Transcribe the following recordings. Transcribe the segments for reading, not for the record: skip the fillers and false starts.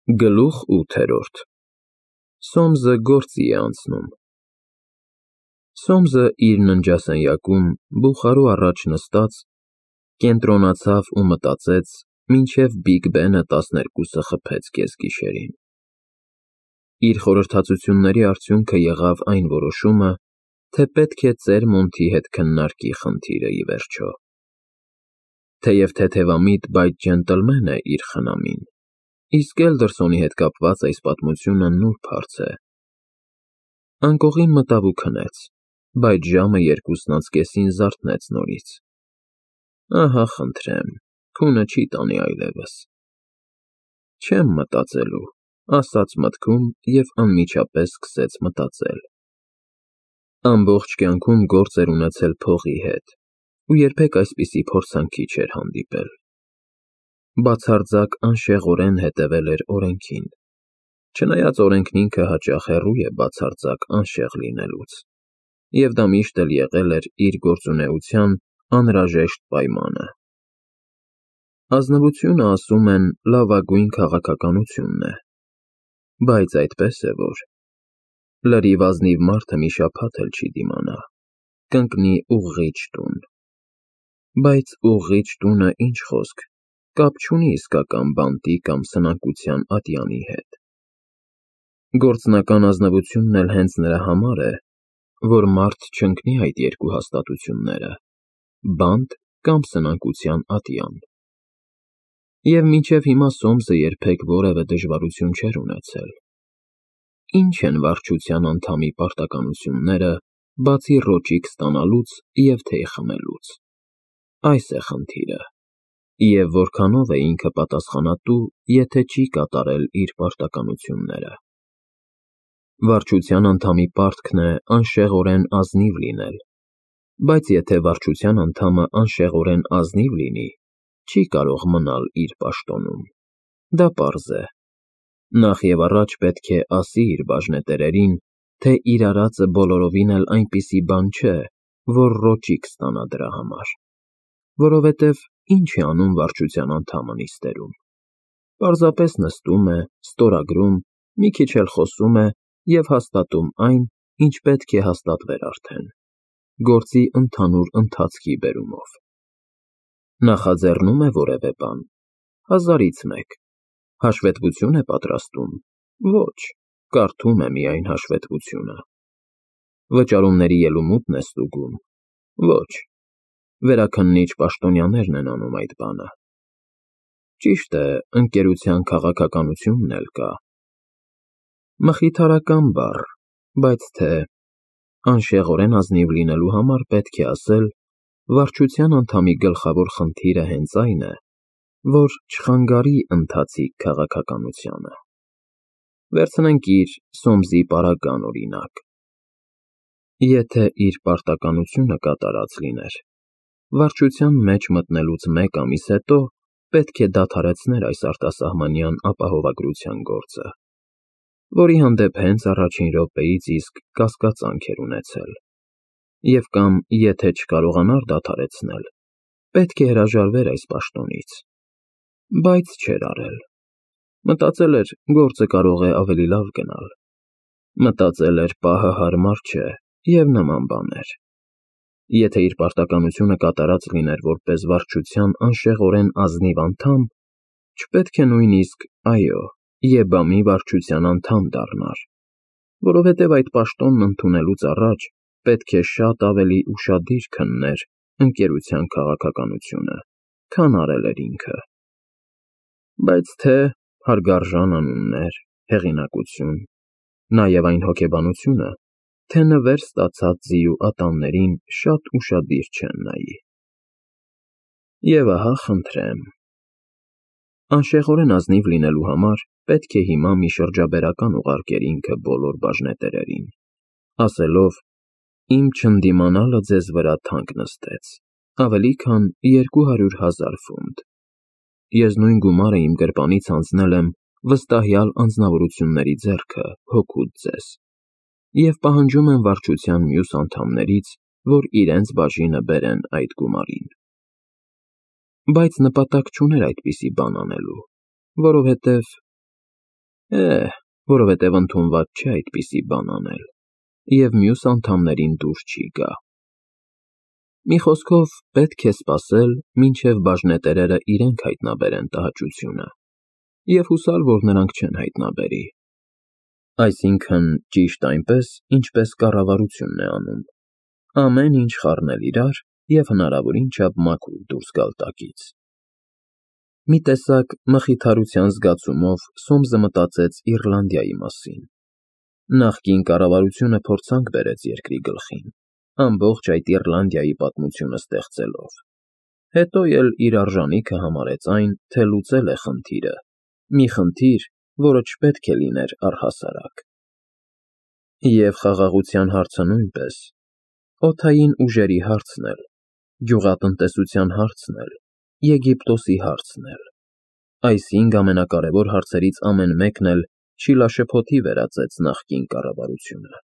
Գլուխ 8 Սոմսը գործի է անցնում։ Սոմսը իր ննջասենյակում բուխարու առաջ նստած, կենտրոնացավ ու մտածեց, մինչև Բիգ Բենը 12-ը խփեց կեսգիշերին։ Իր խորհրդածությունների արդյունքը եղավ այն որոշումը, թե պետք է ծեր Մոնթի հետ քննարկի խնդիրը ի վերջո։ Թեև թեթևամիտ, բայց ջենտլմեն է իր խնամին, իսկ Էլդերսոնի հետ կապված այս պատմությունը նուրբ հարց է։ Անկողին մտավ ու քնեց, բայց ժամը 2:30-ին զարթնեց նորից։ Ահա խնդրեմ, քունը չի տանի այլևս։ Չեմ մտածելու, ասաց մտքում և անմիջապես սկսեց մտածել։ Ամբողջ կյանքում գործ էր ունեցել փողի հետ ու երբեք այսպիսի փորձանքի չէր հանդիպել։ Բացարձակ անշեղորեն հետևել էր օրենքին, չնայած օրենքն ինքը հաճախ հեռու է բացարձակ անշեղ լինելուց, և դա միշտ էլ եղել էր իր գործունեության անհրաժեշտ պայմանը։ Ազնվությունը, ասում են, լավագույն քաղաքականությունն է, բայց այդպես է որ լրիվ ազնիվ մարդը մի շաբաթ էլ չի դիմանա, կընկնի ուղղիչ տուն։ Բայց ուղղիչ տունը, ինչ խոսք, կապ չունի իսկական բանտի կամ սնանկության ատյանի հետ։ Գործնական ազնվությունն էլ հենց նրա համար է, որ մարդ չընկնի այդ երկու հաստատությունները՝ բանտ կամ սնանկության ատյան։ Եվ մինչև հիմա Սոմսը երբեք որևէ դժվարություն չէր ունեցել։ Ինչ են վարչության անդամի պարտականությունները, բացի ռոճիկ ստանալուց և թեյ խմելուց։ Այս է խնդիրը, և որքանով է ինքը պատասխանատու, եթե չի կատարել իր պարտականությունները։ Վարչության անդամի պարտքն է անշեղորեն ազնիվ լինել, բայց եթե վարչության անդամը անշեղորեն ազնիվ լինի, չի կարող մնալ իր պաշտոնում։ Դա պարզ է։ Նախ և առաջ պետք է ասի իր բաժնետերերին, թե իր արածը բոլորովին էլ այնպիսի բան չէ, որ ռոճիկ ստանա դրա համար, որովհետև ինչ է անում վարչության անդամը նիստերում։ Պարզապես նստում է, ստորագրում, մի քիչ էլ խոսում է և հաստատում այն, ինչ պետք է հաստատվեր արդեն, գործի ընդհանուր ընթացքի բերումով։ Նախաձեռնում է որևէ բան, հազարից մեկ, հաշվետվություն է պատրաստում, ոչ, կարդում է միայն հաշվետվությունը։ Վճարումների ելումուտն է ստուգում, ոչ, վերաքննիչ պաշտոնյաներն են անում այդ բանը։ Ճիշտ է, ընկերության քաղաքականությունն էլ կա։ Մխիթարական բառ, բայց թե անշեղորեն ազնիվ լինելու համար պետք է ասել, վարչության անդամի գլխավոր խնդիրը հենց այն է, որ չխանգարի ընթացիկ քաղաքականությանը։ Վերցնենք իր Սոմսի պարագան օրինակ։ Եթե իր պարտականությունը կատարած լիներ, վարչության մեջ մտնելուց մեկ ամիս հետո պետք է դադարեցներ այս արտասահմանյան ապահովագրության գործը, որի հանդեպ հենց առաջին րոպեից իսկ կասկածանք էր ունեցել, և կամ եթե չկարողանար դադարեցնել, պետք է հրաժարվեր այս պաշտոնից, բայց չէր արել։ Մտածել էր, գործը կարող է ավելի լավ գնալ։ Մտածել էր, պահը հարմար չէ և նման բաներ։ Եթե իր պարտականությունը կատարած լիներ որպես վարչության անշեղորեն ազնիվ անդամ, չպետք է նույնիսկ, այո, ԵԲԱՄ-ի վարչության անդամ դառնար, որովհետև այդ պաշտոնն ընդունելուց առաջ պետք է շատ ավելի ուշադիր քններ ընկերության քաղաքականությունը, քան արել էր ինքը։ Բայց թե հարգարժան անուններ, հեղինակություն, նաև այն հոգեբանությունը, թե նվեր ստացած ձիու ատամներին շատ ուշադիր չեն նայի։ Եվ ահա խնդրեմ։ Անշեղորեն ազնիվ լինելու համար պետք է հիմա մի շրջաբերական ուղարկեր ինքը բոլոր բաժնետերերին, ասելով. «Իմ չընդդիմանալը ձեզ վրա թանկ նստեց, ավելի քան 200,000 ֆունտ։ Ես նույն գումարը իմ գրպանից հանձնել եմ վստահյալ անձնավորությունների ձեռքը հօգուտ ձեզ և պահանջում եմ վարչության մյուս անդամներից, որ իրենց բաժինը բերեն այդ գումարին»։ Բայց նպատակ չուներ այդպիսի բան անելու, որովհետև Որովհետև ընդունված չէ այդպիսի բան անել, և մյուս անդամներին դուր չի գա։ Մի խոսքով, պետք է սպասել, մինչև բաժնետերերը իրենք հայտնաբերեն տհաճությունը, և հուսալ, որ նրանք չեն հայտնաբերի։ Այսինքն, ճիշտ այնպես, ինչպես կառավարությունն է անում. ամեն ինչ խառնել իրար և հնարավորին չափ մաքուր դուրս գալ տակից։ Մի տեսակ մխիթարության զգացումով Սոմսը մտածեց Իռլանդիայի մասին։ Նախկին կառավարությունը փորձանք բերեց երկրի գլխին, ամբողջ այդ Իռլանդիայի պատմությունը ստեղծելով։ Հետո էլ իր արժանիքը համարեց այն, թե լուծել է խնդիրը, մի խնդիր, որը չպետք է լիներ առհասարակ։ Եվ խաղաղության հարցը նույնպես, օդային ուժերի հարցն էլ, գյուղատնտեսության հարցն էլ, Եգիպտոսի հարցն էլ, այս 5 ամենակարևոր հարցերից ամեն մեկն էլ շիլաշփոթի վերածեց նախկին կառավարությունը։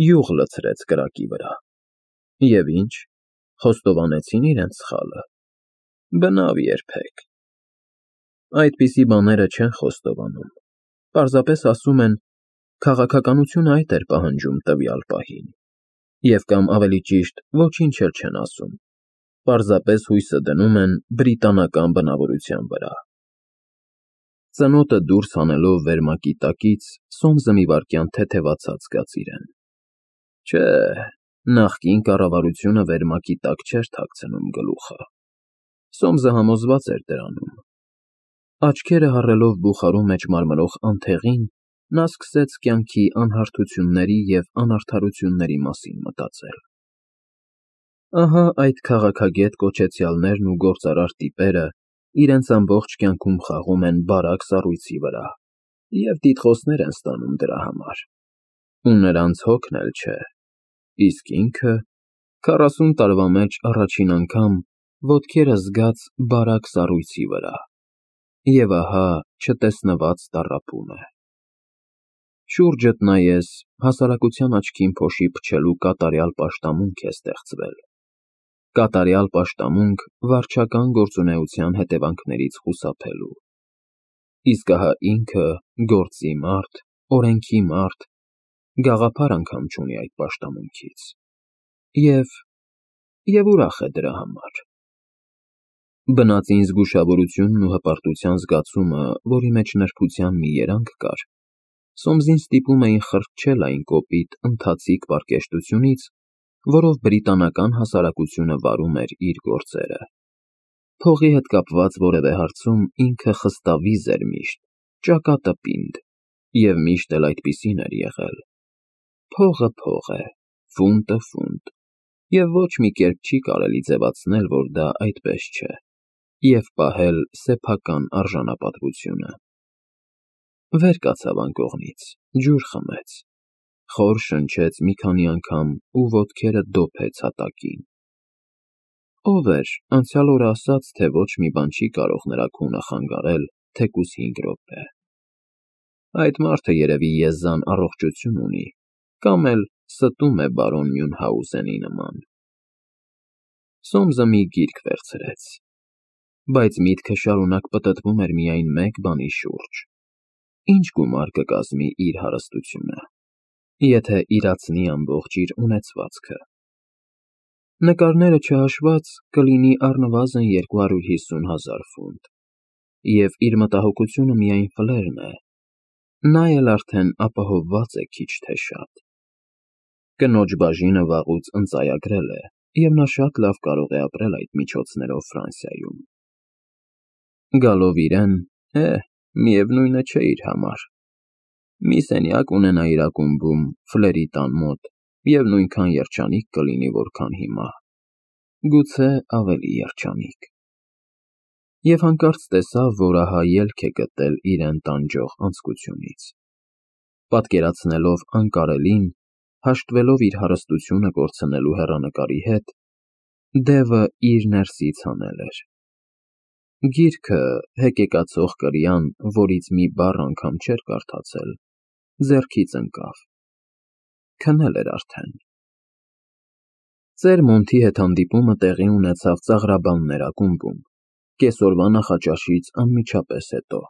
Յուղ լցրեց կրակի վրա։ Եվ ինչ, խոստովանեցին իրենց սխալը։ Բնավ երբեք։ Այդպիսի բաները չեն խոստովանում, պարզապես ասում են. քաղաքականությունը այդ էր պահանջում տվյալ պահին, և կամ ավելի ճիշտ, ոչինչ էլ չեն ասում, պարզապես հույսը դնում են բրիտանական բնավորության վրա։ Ծնոտը դուրս հանելով վերմակի տակից, Սոմսը մի վայրկյան թեթևացած զգաց իրեն։ Չէ, նախկին կառավարությունը վերմակի տակ չէր թաքցնում գլուխը։ Սոմսը համոզված էր դրանում։ Աչքերը հառելով բուխարու մեջ մարմրող անթեղին, նա սկսեց կյանքի անհարթությունների և անարդարությունների մասին մտածել։ Ահա այդ քաղաքագետ կոչեցյալներն ու գործարար տիպերը իրենց ամբողջ կյանքում խաղում են բարակ սառույցի վրա և տիտղոսներ են ստանում դրա համար։ Ու նրանց հոգն էլ չէ, իսկ ինքը 40 տարվա մեջ առաջին անգամ ոտքերը զգաց բարակ սառույցի վրա, և ահա չտեսնված տառապում է։ Շուրջդ նայես, հասարակության աչքին փոշի փչելու կատարյալ պաշտամունք է ստեղծվել։ Կատարյալ պաշտամունք վարչական գործունեության հետևանքներից խուսափելու։ Իսկ ահա ինքը, գործի մարդ, օրենքի մարդ, գաղափար անգամ չունի այդ պաշտամունքից։ Եվ ուրախ է դրա համար։ Բնածին զգուշավորությունն ու հպարտության զգացումը, որի մեջ նրբության մի երանգ կար, Սոմսին ստիպում էին խրճել այն կոպիտ, ընթացիկ պարկեշտությունից, որով բրիտանական հասարակությունը վարում էր իր գործերը։ Փողի հետ կապված որևէ հարցում ինքը խստավիզ էր միշտ, ճակատպինդ, և միշտ էլ այդպիսին էր եղել։ Փողը փող է, ֆունտը ֆունտ, և ոչ մի կերպ չի կարելի ձևացնել, որ դա այդպես չէ, և պահել սեփական արժանապատվությունը։ Վեր կացավ անկողնից, ջուր խմեց, խոր շնչեց մի քանի անգամ ու ոտքերը դոփեց հատակին։ Ո՞վ էր անցյալ օրը ասաց, թե ոչ մի բան չի կարող նրա քունը խանգարել թեկուզ 5 րոպե։ Այդ մարդը երևի եզան առողջություն ունի, կամ էլ ստում է բարոն Մյունհաուզենի նման։ Սոմսը մի գիրք վերցրեց, բայց միտքը շարունակ պտտվում էր միայն մեկ բանի շուրջ. ինչ գումար կկազմի իր հարստությունը, եթե իրացնի ամբողջ իր ունեցվածքը։ Նկարները չհաշված, կլինի առնվազն 250,000 ֆունտ, և իր մտահոգությունը միայն ֆլերն է, նա էլ արդեն ապահովված է քիչ թե շատ։ Կնոջ բաժինը վաղուց ընծայագրել է, և նա շատ լավ կարող է ապրել այդ միջոցներով Ֆրանսիայում։ Գալով իրեն, միևնույնը չէ իր համար։ Մի սենյակ ունենա իր ակումբում, ֆլերի տան մոտ, և նույնքան երջանիկ կլինի, որքան հիմա, գուցե ավելի երջանիկ։ Եվ հանկարծ տեսավ, որ ահա ելք է գտել իրեն տանջող անձկությունից։ Պատկերացնելով անկարելին, հաշտվելով իր հարստությունը կորցնելու հեռանկարի հետ, դևը իր ներսից հանել էր։ Գիրքը, հեկեկացող կրյան, որից մի բառ անգամ չէր կարդացել, ձեռքից ընկավ։ Քնել էր արդեն։ Ծեր Մոնթի հետ հանդիպումը տեղի ունեցավ Ծաղրաբաններ ակումբում, կեսօրվա նախաճաշից անմիջապես հետո։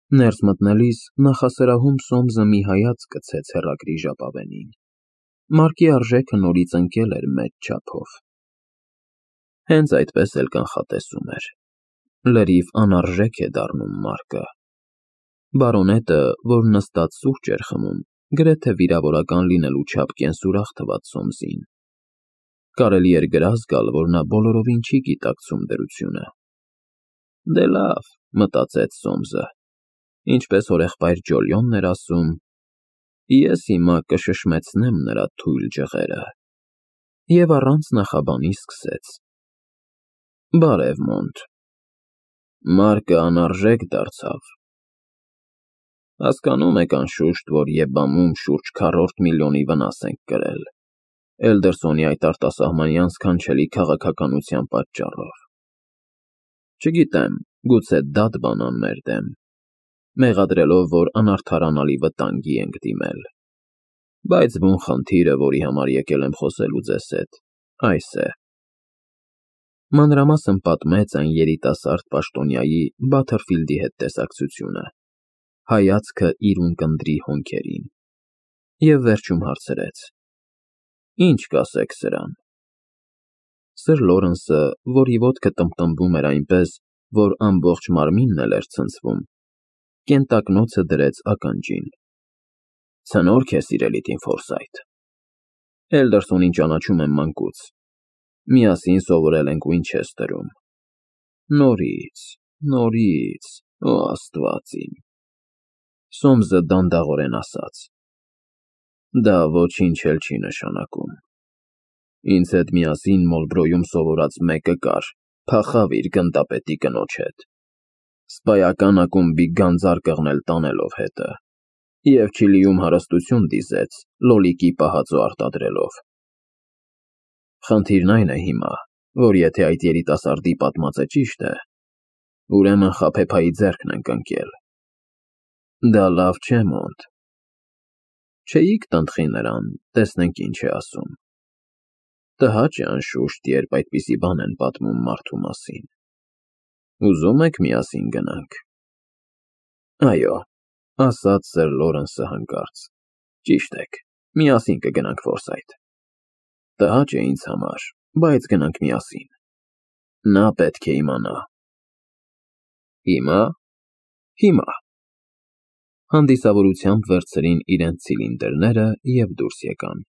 Ներս մտնելիս նախասրահում Սոմսը մի հայացք գցեց հեռագրի ժապավենին։ Մարկի արժեքը նորից ընկել էր մեծ չափով։ Հենց այդպես էլ կանխատեսում էր։ Լրիվ անարժեք է դառնում Մարկը։ Բարոնետը, որ նստած սուրճ էր խմում, գրեթե վիրավորական լինելու չափ կենսուրախ թվաց Սոմսին։ Կարելի էր գրազ գալ, որ նա բոլորովին չի գիտակցում դրությունը։ Դե լավ, մտածեց Սոմսը, ինչպես հորեղբայր Ջոլիոնն էր ասում, ես հիմա կշշմեցնեմ նրա թույլ ջղերը։ Եվ առանց նախաբանի սկսեց. Բարև, Մոնտ։ Մարկը անարժեք դարձավ։ Հասկանում եք, անշուշտ, որ ԵԲԱՄ-ում շուրջ 4 միլիոնի վնաս ենք կրել, Էլդերսոնի այդ արտասահմանյան սքանչելի քաղաքականության պատճառով։ Չգիտեմ, գուցե դատ բանան մեր դեմ, մեղադրելով, որ անարդարանալի վտանգի ենք դիմել, բայց բուն խնդիրը, որի համար եկել եմ խոսելու ձեզ հետ, այս է։ Մանրամասն պատմեց այն երիտասարդ պաշտոնյայի Բաթերֆիլդի հետ տեսակցությունը, հայացքը իր ունկնդրի հոնքերին, և վերջում հարցրեց. Ինչ կասեք սրան։ Սր Լորենսը, որի ոտքը տմբտմբում էր այնպես, որ ամբողջ մարմինն էլ էր ցնցվում, կենտակնոցը դրեց ականջին։ Ցնորք է, սիրելի տին Ֆորսայթ։ Էլդերսոնին ճանաչում եմ մանկուց։ Միասին սովորել ենք Ուինչեսթերում։ Նորից, օ Աստված իմ։ Սոմսը դանդաղորեն ասաց. Դա ոչինչ էլ չի նշանակում։ Ինձ հետ միասին Մոլբրոյում սովորած մեկը կար, փախավ իր գնդապետի կնոջ հետ, սպայական ակումբի գանձար կղնել տանելով հետը, և Չիլիում հարստություն դիզեց, լոլիկի պահածո արտադրելով։ Խնդիրն այն է հիմա, որ եթե այդ երիտասարդի պատմածը ճիշտ է, ուրեմն խաբեբայի ձեռքն ենք ընկել։ Դա լավ չէ, Մոնտ։ Չէիք տնտղի նրան, տեսնենք ինչ է ասում։ Տհաճ է անշուշտ, երբ այդպիսի բան են պատմում մարդու մասին։ Ուզում եք միասին գնանք։ Այո, ասաց սր Լորենսը հանկարծ։ Ճիշտ եք, միասին կգնանք Ֆորսայթ։ Տհաճ է ինձ համար, բայց գնանք միասին։ Նա պետք է իմանա։ Հիմա։ Հանդիսավորությամբ վերցրին իրենց ցիլինդրները և դուրս եկան։